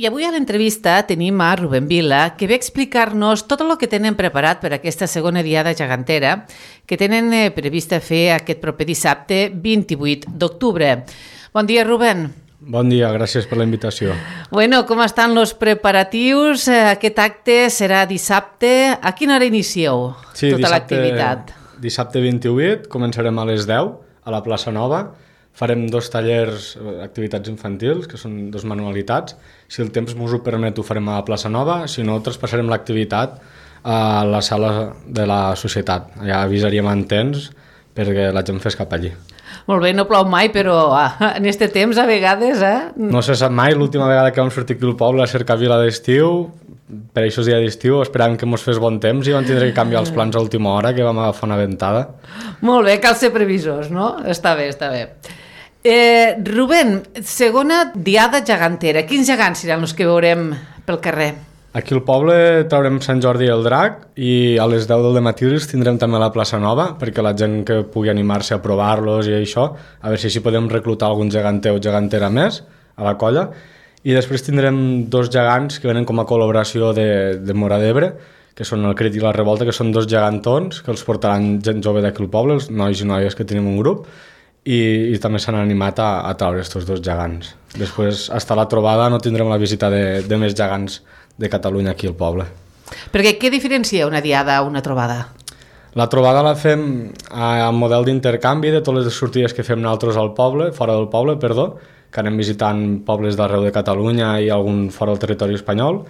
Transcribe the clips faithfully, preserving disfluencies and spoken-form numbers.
I avui a l'entrevista tenim a Rubén Vila, que ve a explicar-nos tot el que tenen preparat per aquesta segona diada gegantera que tenen prevista fer aquest proper dissabte vint-i-vuit d'octubre. Bon dia, Rubén. Bon dia, gràcies per la invitació. Bueno, com estan els preparatius? Aquest acte serà dissabte. A quina hora inicieu sí, tota dissabte, l'activitat? Dissabte vint-i-vuit, començarem a les deu a la plaça Nova. Farem dos tallers, activitats infantils, que són dos manualitats. Si el temps ens ho permet, ho farem a la plaça Nova. Si no, traspassarem l'activitat a la sala de la societat. Allà avisaríem en temps perquè la gent fes cap allí. Molt bé, no plou mai, però ah, en aquest temps a vegades... Eh? No se sap mai, l'última vegada que vam sortir aquí al poble a cercar vila d'estiu, per això és dia d'estiu, esperàvem que mos fes bon temps i vam tindre que canviar els plans a última hora, que vam agafar una ventada. Molt bé, cal ser previsors, no? Està bé, està bé. Eh, Rubén, segona diada gegantera. Quins gegants seran els que veurem pel carrer? Aquí al poble traurem Sant Jordi i el Drac i a les deu del dematí els tindrem també a la plaça Nova perquè la gent que pugui animar-se a provar-los i això, a veure si així podem reclutar algun geganter o gegantera més a la colla. I després tindrem dos gegants que venen com a col·laboració de, de Mora d'Ebre, que són el Crit i la Revolta, que són dos gegantons que els portaran gent jove d'aquí al poble, els nois i noies que tenim un grup, i, i també s'han animat a, a traure aquests dos gegants. Després, hasta la trobada, no tindrem la visita de, de més gegants de Catalunya aquí al poble. Perquè què diferencia una diada a una trobada? La trobada la fem a, a model d'intercanvi de totes les sortides que fem nosaltres al poble, fora del poble, perdó, que anem visitant pobles d'arreu de Catalunya i algun fora del territori espanyol.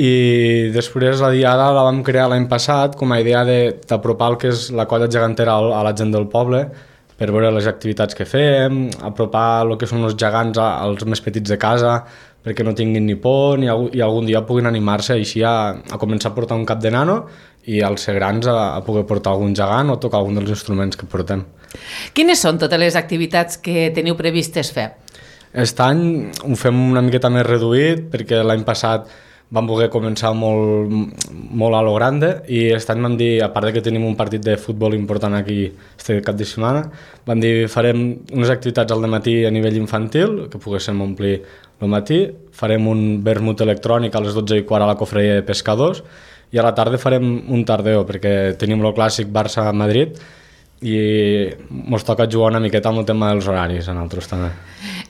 I després la diada la vam crear l'any passat com a idea d'apropar el que és la colla gegantera a la gent del poble, per veure les activitats que fem, apropar el que són els gegants als més petits de casa, perquè no tinguin ni por ni, i algun dia puguin animar-se així a, a començar a portar un cap de nano i als ser grans a, a poder portar algun gegant o tocar algun dels instruments que portem. Quines són totes les activitats que teniu previstes fer? Aquest any ho fem una miqueta més reduït perquè l'any passat vam voler començar molt, molt a lo grande i aquest any vam dir, a part de que tenim un partit de futbol important aquí este cap de setmana, vam dir farem unes activitats al dematí a nivell infantil, que poguéssim omplir el matí, farem un vermut electrònic a les dotze i quart a la cofreria de pescadors i a la tarda farem un tardeo perquè tenim el clàssic Barça-Madrid i ens toca jugar una miqueta amb el tema dels horaris a nosaltres també.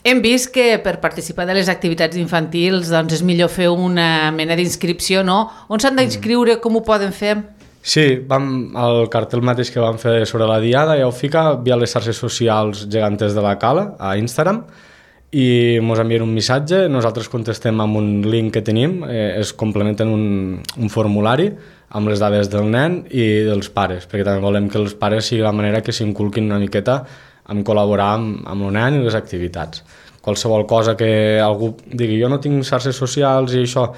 Hem vist que per participar de les activitats infantils doncs és millor fer una mena d'inscripció, no? On s'han d'inscriure, com ho poden fer? Sí, vam, el cartell mateix que vam fer sobre la diada ja ho fica via les xarxes socials geganters de la Cala, a Instagram, i ens envien un missatge, nosaltres contestem amb un link que tenim, eh, es complementen un, un formulari amb les dades del nen i dels pares, perquè també volem que els pares sigui la manera que s'inculquin una miqueta en col·laborar amb, amb el nen i les activitats. Qualsevol cosa que algú digui jo no tinc xarxes socials i això,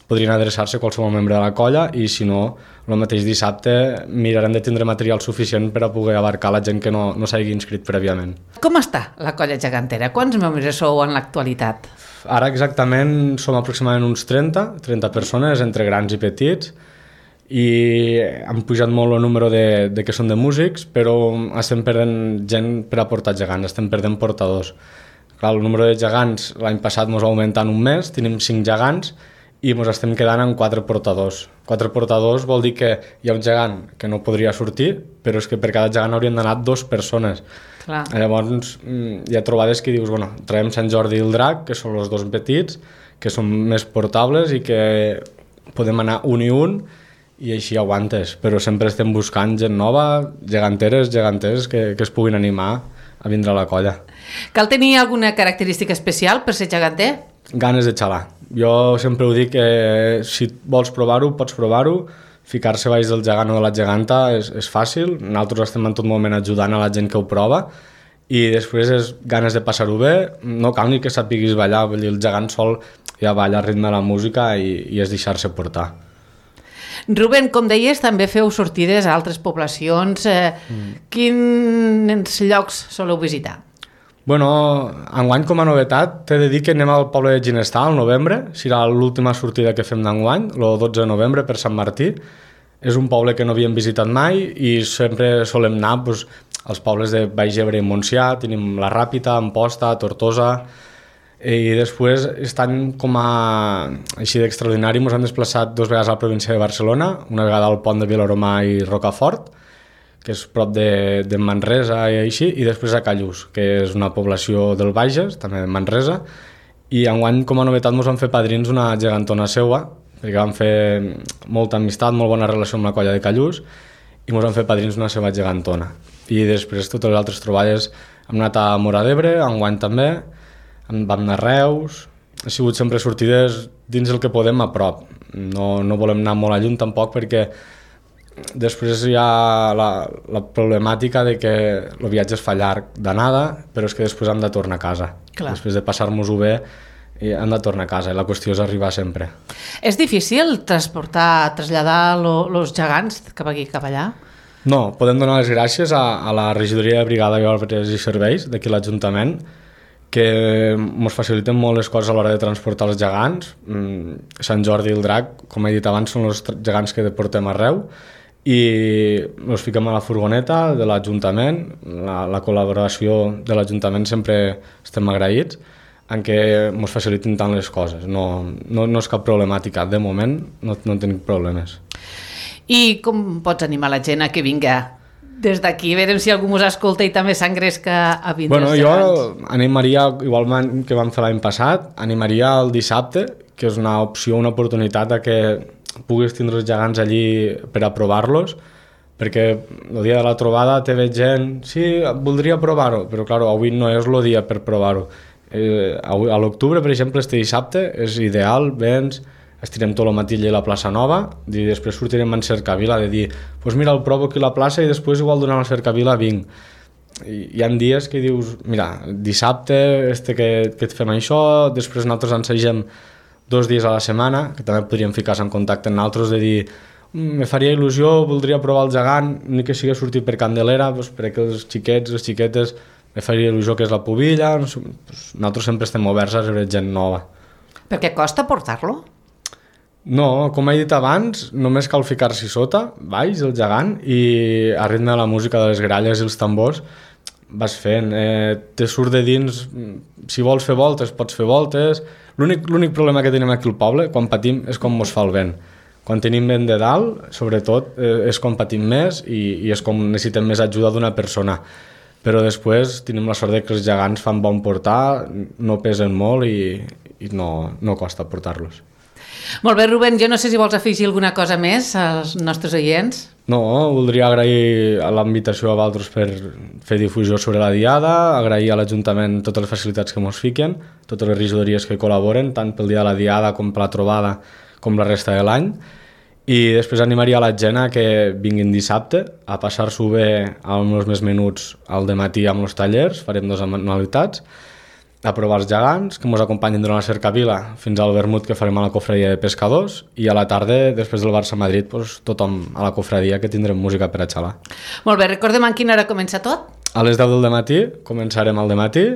podrien adreçar-se a qualsevol membre de la colla i si no, el mateix dissabte mirarem de tindre material suficient per a poder abarcar la gent que no, no s'hagi inscrit prèviament. Com està la colla gegantera? Quants membres sou en l'actualitat? Ara exactament som aproximadament uns trenta, trenta persones, entre grans i petits, i han pujat molt el número de, de que són de músics, però estem perdent gent per a portar gegants, estem perdent portadors. Clar, el número de gegants l'any passat ens va augmentar en un mes, tenim cinc gegants i ens estem quedant amb quatre portadors. Quatre portadors vol dir que hi ha un gegant que no podria sortir, però és que per cada gegant haurien d'anar dues persones. Clar. Llavors hi ha trobades que dius, bueno, traiem Sant Jordi i el Drac, que són els dos petits, que són més portables i que podem anar un i un, i així aguantes, però sempre estem buscant gent nova, geganteres, geganters que, que es puguin animar a vindre a la colla. Cal tenir alguna característica especial per ser geganter? Ganes de xalar. Jo sempre ho dic que si vols provar-ho, pots provar-ho, ficar-se baix del gegant o de la geganta és, és fàcil, nosaltres estem en tot moment ajudant a la gent que ho prova i després és ganes de passar-ho bé, no cal ni que sapiguis ballar, vull dir, el gegant sol ja balla al ritme de la música i, i és deixar-se portar. Rubén, com deies, també feu sortides a altres poblacions. Eh, mm. Quins llocs soleu visitar? Bueno, enguany com a novetat t'he de dir que anem al poble de Ginestar al novembre, serà l'última sortida que fem d'enguany, el dotze de novembre per Sant Martí. És un poble que no havíem visitat mai i sempre solem anar doncs, als pobles de Baix Ebre i Montsià, tenim la Ràpita, Amposta, Tortosa, I després, estan com a així d'extraordinari, ens han desplaçat dues vegades a la província de Barcelona, una vegada al pont de Vilaromà i Rocafort, que és prop de, de Manresa i així, i després a Callús, que és una població del Bages, també de Manresa, i enguany com a novetat ens van fer padrins una gegantona seua, perquè vam fer molta amistat, molt bona relació amb la colla de Callús, i ens van fer padrins una seva gegantona. I després totes les altres troballes hem anat a Móra d'Ebre, enguany també, vam anar a Reus, ha sigut sempre sortides dins el que podem a prop. No, no volem anar molt a lluny tampoc perquè després hi ha la, la problemàtica de que el viatge es fa llarg d'anada, però és que després hem de tornar a casa. Clar. Després de passar-nos-ho bé, hem de tornar a casa i la qüestió és arribar sempre. És difícil transportar, traslladar els gegants cap aquí, cap allà? No, podem donar les gràcies a, a la regidoria de Brigada i Obres i Serveis d'aquí l'Ajuntament, que ens faciliten molt les coses a l'hora de transportar els gegants. Sant Jordi i el Drac, com he dit abans, són els gegants que portem arreu i els fiquem a la furgoneta de l'Ajuntament. La, la col·laboració de l'Ajuntament sempre estem agraïts en què ens faciliten tant les coses. No, no, no és cap problemàtica. De moment no, no tenim problemes. I com pots animar la gent a que vinga des d'aquí? A veure si algú ens escolta i també s'engresca a vindre bueno, els gegants. Jo animaria, igualment que vam fer l'any passat, animaria el dissabte, que és una opció, una oportunitat a que puguis tindre els gegants allí per a provar-los, perquè el dia de la trobada te veig gent, sí, voldria provar-ho, però clar, avui no és el dia per provar-ho. Eh, a l'octubre, per exemple, este dissabte és ideal, vens, estirem tot el matí a la plaça Nova i després sortirem en cercavila de dir, pues mira, el provo aquí a la plaça i després igual durant la cercavila vinc. I hi ha dies que dius, mira, dissabte este que, que et fem això, després nosaltres ensegem dos dies a la setmana, que també podríem ficar-se en contacte amb nosaltres de dir, me faria il·lusió, voldria provar el gegant, ni que sigui sortir per Candelera, pues, per aquells xiquets, les xiquetes, me faria il·lusió que és la pubilla, no sé, pues, nosaltres sempre estem oberts a rebre gent nova. Per què costa portar-lo? No, com he dit abans, només cal ficar-s'hi sota, baix, el gegant, i a ritme de la música de les gralles i els tambors vas fent. Eh, te surt de dins, si vols fer voltes, pots fer voltes. L'únic l'únic problema que tenim aquí al poble, quan patim, és com mos fa el vent. Quan tenim vent de dalt, sobretot, eh, és com patim més i, i és com necessitem més ajuda d'una persona. Però després tenim la sort de que els gegants fan bon portar, no pesen molt i, i no, no costa portar-los. Molt bé, Rubén, jo no sé si vols afegir alguna cosa més als nostres oients. No, voldria agrair a la invitació a vosaltres per fer difusió sobre la diada, agrair a l'Ajuntament totes les facilitats que ens fiquen, totes les regidories que col·laboren, tant pel dia de la diada com per la trobada com la resta de l'any. I després animaria a la gent a que vinguin dissabte a passar-s'ho bé amb els més menuts al dematí amb els tallers, farem dues anualitats, a provar els gegants, que ens acompanyin durant la cercavila fins al vermut que farem a la cofradia de pescadors i a la tarda, després del Barça-Madrid, doncs, tothom a la cofradia que tindrem música per a xalar. Molt bé, recordem a quina hora comença tot? A les deu del matí començarem al dematí,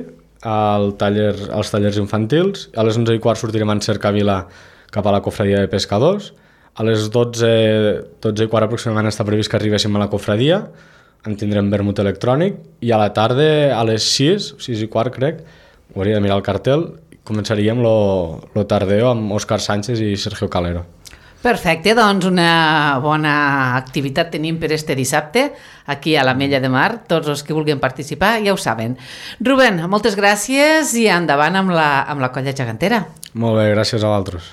al taller, als tallers infantils, a les onze i quart sortirem en cercavila cap a la cofradia de pescadors, a les dotze, dotze i quart aproximadament està previst que arribéssim a la cofradia, en tindrem vermut electrònic i a la tarda, a les sis, sis i quart crec, hauria de mirar el cartel, començaríem lo, lo tardeo amb Òscar Sánchez i Sergio Calero. Perfecte, doncs una bona activitat tenim per este dissabte aquí a l'Ametlla de Mar, tots els que vulguin participar ja ho saben. Rubén, moltes gràcies i endavant amb la, amb la colla gegantera. Molt bé, gràcies a vosaltres.